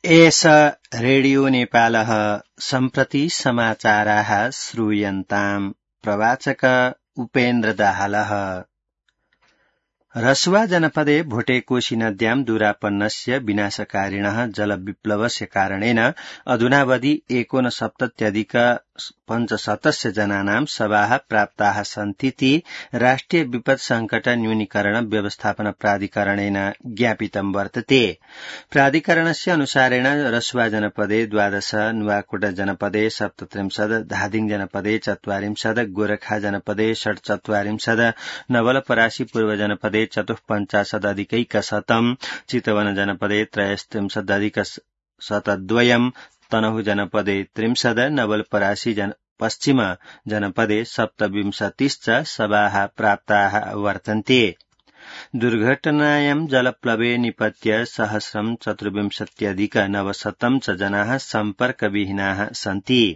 एष रेडियो नेपालः सम्प्रति समाचाराः श्रूयन्ताम्। प्रवाचक उपेन्द्र दाहालः। रसुवा जनपदे भोटेकोशी नद्यां दूरापन्नस्य विनाशकारिणः जलविप्लवस्य कारणेन अधुनावधि 69,570 जनानां शवाः प्राप्ताः सन्तीति राष्ट्रिय विपद संकट न्यूनीकरण व्यवस्थापन प्राधिकरणेन ज्ञापितं वर्तते। प्राधिकरणस्य अनुसारेण रसुवा जनपदे 12, नुवाकोट जनपदे 37, धादिङ जनपदे 44, गोरखा जनपदे 47, नवलपरासी पूर्व जनपदे 54,अधिकैकशतम्, चितवन जनपदे 63,अधिकशतद्वयम्, तनहु जनपदे 30, नवलपरासी पश्चिम जनपदे 27 शवाः प्राप्ताः वर्तन्ते। दुर्घटनायां जलप्लवे निपत्य 1,024,900 च जनाः सम्पर्कविहीनाः सन्ति।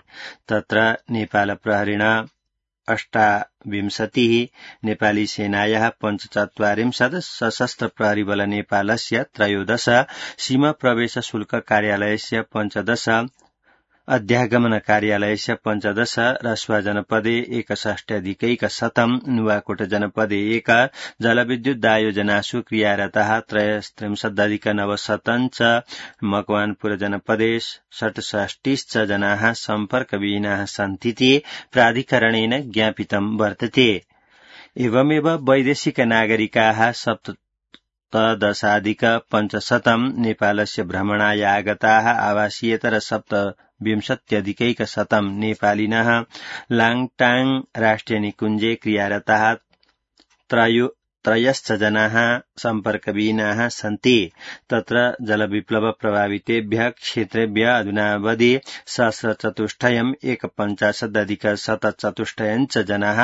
तत्र नेपाल प्रहरिणा 28, नेपाली सेनायाः 45, सशस्त्र प्रहरी बल नेपालस्य 13, सीमा प्रवेश शुल्क कार्यालयस्य 15, अध्यागमन कार्यालयस्य 15, रसुवा जनपदे 61,अधिकैकशतम्, नुवाकोट जनपदे 1, जलविद्युत दायोजनासु क्रियारताः 63,900 च, मकवानपुर जनपदे 67 जनाः सम्पर्कविहीनाः सन्तीति प्राधिकरणेन ज्ञापितं वर्तते। एवमेव वैदेशिक नागरिकाः 17,500 नेपालस्य भ्रमणाय आगताः, आवासीयेतर 27,अधिकैकशतं नेपालिनः लाङटाङ राष्ट्रिय निकुञ्जे क्रियारताः 13 जनाः सम्पर्कविहीनाः सन्ति। तत्र जलविप्लव प्रभावितेभ्यः क्षेत्रेभ्यः अधुनावधि सहस्रचतुष्टयम् 51,अधिकशतचतुष्टयम् च जनाः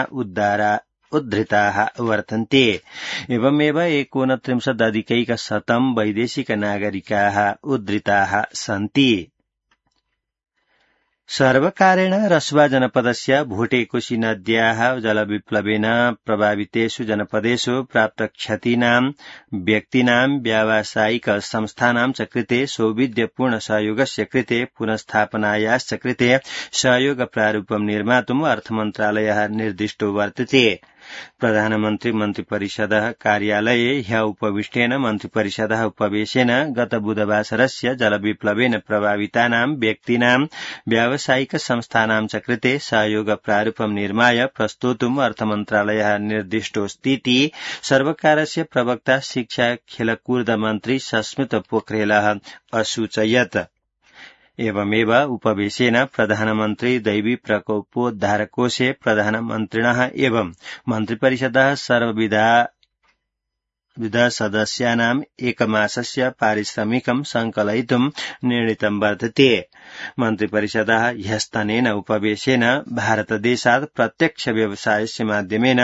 उद्धृताः वर्तन्ते। एवमेव 29,अधिकैकशतम् वैदेशिक नागरिकाः उद्धृताः सन्ति। सर्वकारेण रसुवा जनपदस्य भोटेकोशी नद्याः जलविप्लवेन प्रभावितेषु जनपदेषु प्राप्त क्षतीनां व्यक्तीनां व्यावसायिक संस्थानां च कृते सौविध्यपूर्ण सहयोगस्य कृते पुनस्थापनायाश्च कृते सहयोग प्रारूपं निर्मातुम् अर्थमन्त्रालयः निर्दिष्टो वर्तते। प्रधानमन्त्री मन्त्रिपरिषदः कार्यालये ह्य उपविष्टेन मन्त्रिपरिषदः उपवेशेन गत बुधवासरस्य जलविप्लवेन प्रभावितानां व्यक्तीनां व्यावसायिक संस्थानां च कृते सहयोग प्रारूपं निर्माय प्रस्तोतुम् अर्थमन्त्रालयः निर्दिष्टोऽस्तीति सर्वकारस्य प्रवक्ता शिक्षा खेलकूद मन्त्री सस्मित पोखरेलः असूचयत्। एवमेव उपवेशेन प्रधानमन्त्री दैवी प्रकोपोद्धारकोषे प्रधानमन्त्रिणः एवं मन्त्रिपरिषदः सर्वविध सदस्यानाम् एकमासस्य पारिश्रमिकं संकलयितुं निर्णीतं वर्तते। मन्त्रिपरिषदः ह्यस्तनेन उपवेशेन भारतदेशात् प्रत्यक्ष व्यवसायस्य माध्यमेन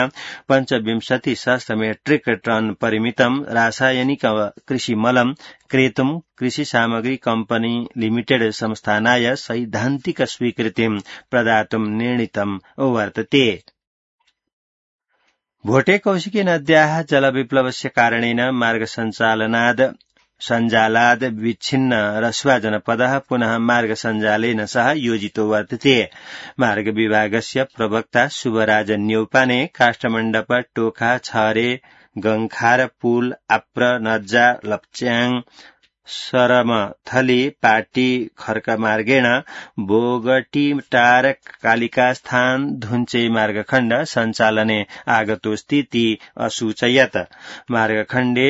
25,000 मेट्रिक टन परिमितं रासायनिक कृषिमलं क्रेतुं कृषि सामग्री कम्पनी लिमिटेड संस्थानाय सैद्धान्तिक स्वीकृतिं प्रदातुं निर्णीतं वर्तते। भोटेकोशी नद्याः जलविप्लवस्य कारणेन मार्ग सञ्जालाद् विच्छिन्न रसुवा जनपदः पुनः मार्ग सञ्जालेन सह योजितो वर्तते। मार्ग विभागस्य प्रवक्ता शुभराज न्यौपाने काष्ठमण्डप टोखा छहरे गङखार पुल आप्र नज्जा लप्च्याङ सरमथली पाटी खर्क मार्गेण बोगटीटार कालिकास्थान धुञ्चे मार्गखण्ड सञ्चालने आगतोऽस्तीति असूचयत्। मार्गखण्डे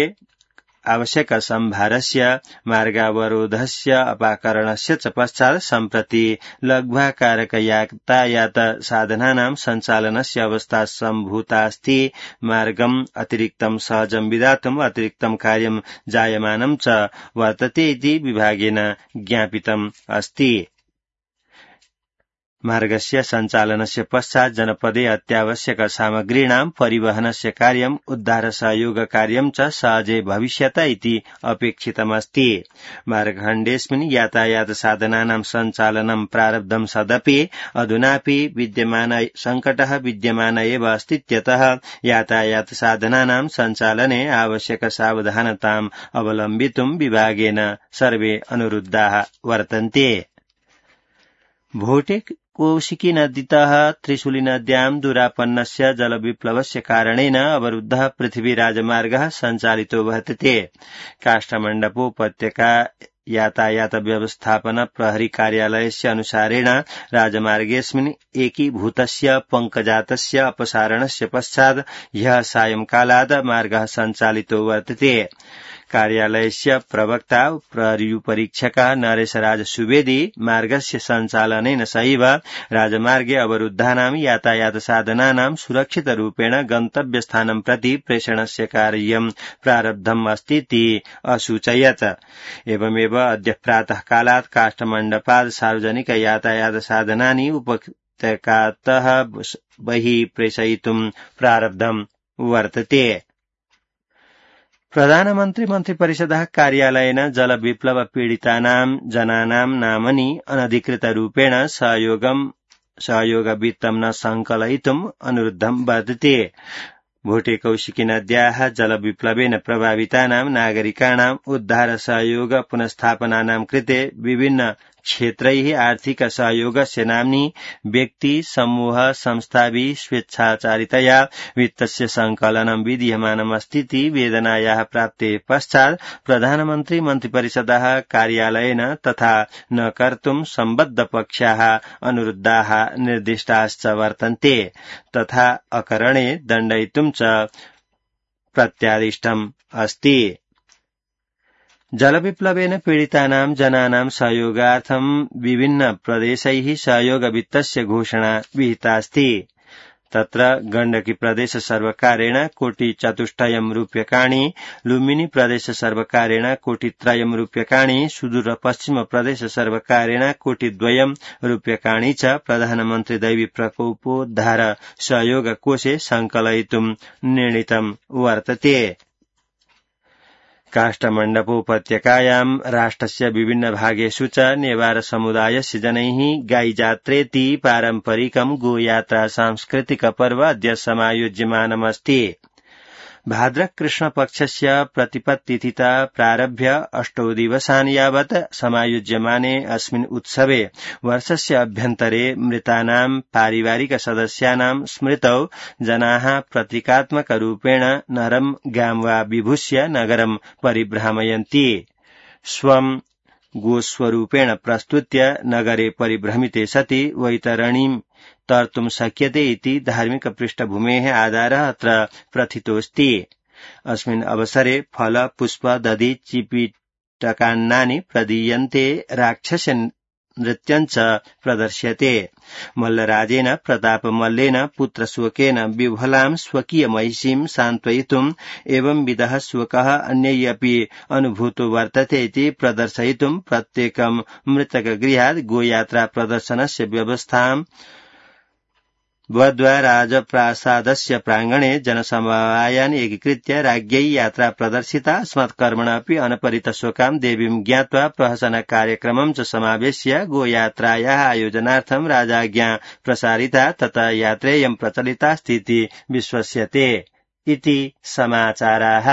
आवश्यक सम्भारस्य मार्गावरोधस्य अपाकरणस्य च पश्चात् सम्प्रति लघ्वाकारक यातायात साधनानां सञ्चालनस्य अवस्था सम्भूतास्ति। मार्गम् अतिरिक्तं सहजं विधातुम् अतिरिक्तं कार्यं जायमानं च वर्तते इति विभागेन ज्ञापितम् अस्ति। मार्गस्य सञ्चालनस्य पश्चात् जनपदे अत्यावश्यक सामग्रीणां परिवहनस्य कार्यम् उद्धार सहयोग कार्यं च सहजे भविष्यत इति अपेक्षितमस्ति। मार्गखण्डेऽस्मिन् यातायात साधनानां सञ्चालनं प्रारब्धं सदपि अधुनापि विद्यमान संकटः विद्यमान एव अस्तीत्यतः यातायात साधनानां सञ्चालने आवश्यक सावधानताम् अवलम्बितुं विभागेन सर्वे अनुरुद्धाः वर्तन्ते। भोटे कौशिकी नदीतः त्रिशूली नद्यां दुरापन्नस्य जलविप्लवस्य कारणेन अवरुद्धः पृथ्वीराजमार्गः सञ्चालितो वर्तते। काष्ठमण्डपोपत्यका यातायात व्यवस्थापन प्रहरी कार्यालयस्य अनुसारेण राजमार्गेऽस्मिन् एकीभूतस्य पङ्कजातस्य अपसारणस्य पश्चात् ह्यः सायंकालात् मार्गः सञ्चालितो वर्तते। कार्यालयस्य प्रवक्ता प्रहरीपरीक्षकः नरेशराज सुवेदी मार्गस्य सञ्चालनेन सहैव राजमार्गे अवरुद्धानां यातायात साधनानां सुरक्षितरूपेण गन्तव्यस्थानं प्रति प्रेषणस्य कार्यं प्रारब्धम् अस्तीति असूचयत्। एवमेव अद्य प्रातःकालात् काष्ठमण्डपात् सार्वजनिक यातायात साधनानि उपत्यकातः बहिः प्रेषयितुं प्रारब्धं वर्तते। प्रधानमन्त्री मन्त्रिपरिषदः कार्यालयेन जलविप्लव पीडितानां जनानां नामनि अनधिकृतरूपेण सहयोगवित्तं न सङ्कलयितुम् अनुरुद्धं वर्तते। भोटे कौशिकी नद्याः जलविप्लवेन प्रभावितानां नागरिकाणाम् उद्धार सहयोग पुनस्थापनानां कृते विभिन्न क्षेत्रैः आर्थिक सहयोगस्य नाम्नि व्यक्ति समूह संस्थाभिः स्वेच्छाचारितया वित्तस्य सङ्कलनं विधीयमानमस्तीति वेदनायाः प्राप्तेः पश्चात् प्रधानमन्त्री मन्त्रिपरिषदः कार्यालयेन तथा न कर्तुं सम्बद्धपक्षाः अनुरुद्धाः निर्दिष्टाश्च वर्तन्ते। तथा अकरणे दण्डयितुं च प्रत्यादिष्टम् अस्ति। जलविप्लवेन पीडितानां जनानां सहयोगार्थं विभिन्न प्रदेशैः सहयोगवित्तस्य घोषणा विहितास्ति। तत्र गण्डकी प्रदेश सर्वकारेण कोटिचतुष्टयं रूप्यकाणि, लुम्बिनी प्रदेश सर्वकारेण कोटित्रयं रूप्यकाणि, सुदूर पश्चिम प्रदेश सर्वकारेण कोटिद्वयं रूप्यकाणि च प्रधानमन्त्री दैवी प्रकोपोद्धार सहयोग कोषे सङ्कलयितुं निर्णीतं वर्तते। काष्ठमण्डपोपत्यकायां राष्ट्रस्य विभिन्न भागेषु च नेवार समुदायस्य जनैः गाईजात्रेति पारम्परिकं गोयात्रा सांस्कृतिक पर्व अद्य समायोज्यमानमस्ति। भाद्रकृष्णपक्षस्य प्रतिपत्तिथिता प्रारभ्य 8 दिवसान् यावत् समायोज्यमाने अस्मिन् उत्सवे वर्षस्य अभ्यन्तरे मृतानां पारिवारिक सदस्यानां स्मृतौ जनाः प्रतीकात्मकरूपेण नरं गां वा विभूष्य नगरं परिभ्रामयन्ति। स्वं गोस्वरूपेण प्रस्तुत्य नगरे परिभ्रमिते सति वैतरणीं तर्तुं शक्यते इति धार्मिक पृष्ठभूमेः आधारः अत्र प्रथितोऽस्ति। अस्मिन् अवसरे फल पुष्प दधि चिपीटकान्नानि प्रदीयन्ते, राक्षस नृत्यञ्च प्रदर्श्यते। मल्लराजेन प्रतापमल्लेन पुत्रशोकेन विह्वलां स्वकीय महिषीं सान्त्वयितुम् एवंविधः शोकः अन्यैः अपि अनुभूतो वर्तते इति प्रदर्शयितुं प्रत्येकं मृतकगृहात् गोयात्रा प्रदर्शनस्य व्यवस्थां वद्वा राजप्रासादस्य प्राङ्गणे जनसमवायान् एकीकृत्य राज्ञै यात्रा प्रदर्शिता। अस्मत्कर्मण अपि अनपरितशोकां देवीं ज्ञात्वा प्रहसनकार्यक्रमं च समावेश्य गोयात्रायाः आयोजनार्थं राजाज्ञा प्रसारिता तथा यात्रेयं प्रचलितास्ति इति विश्वस्यते इति समाचाराः।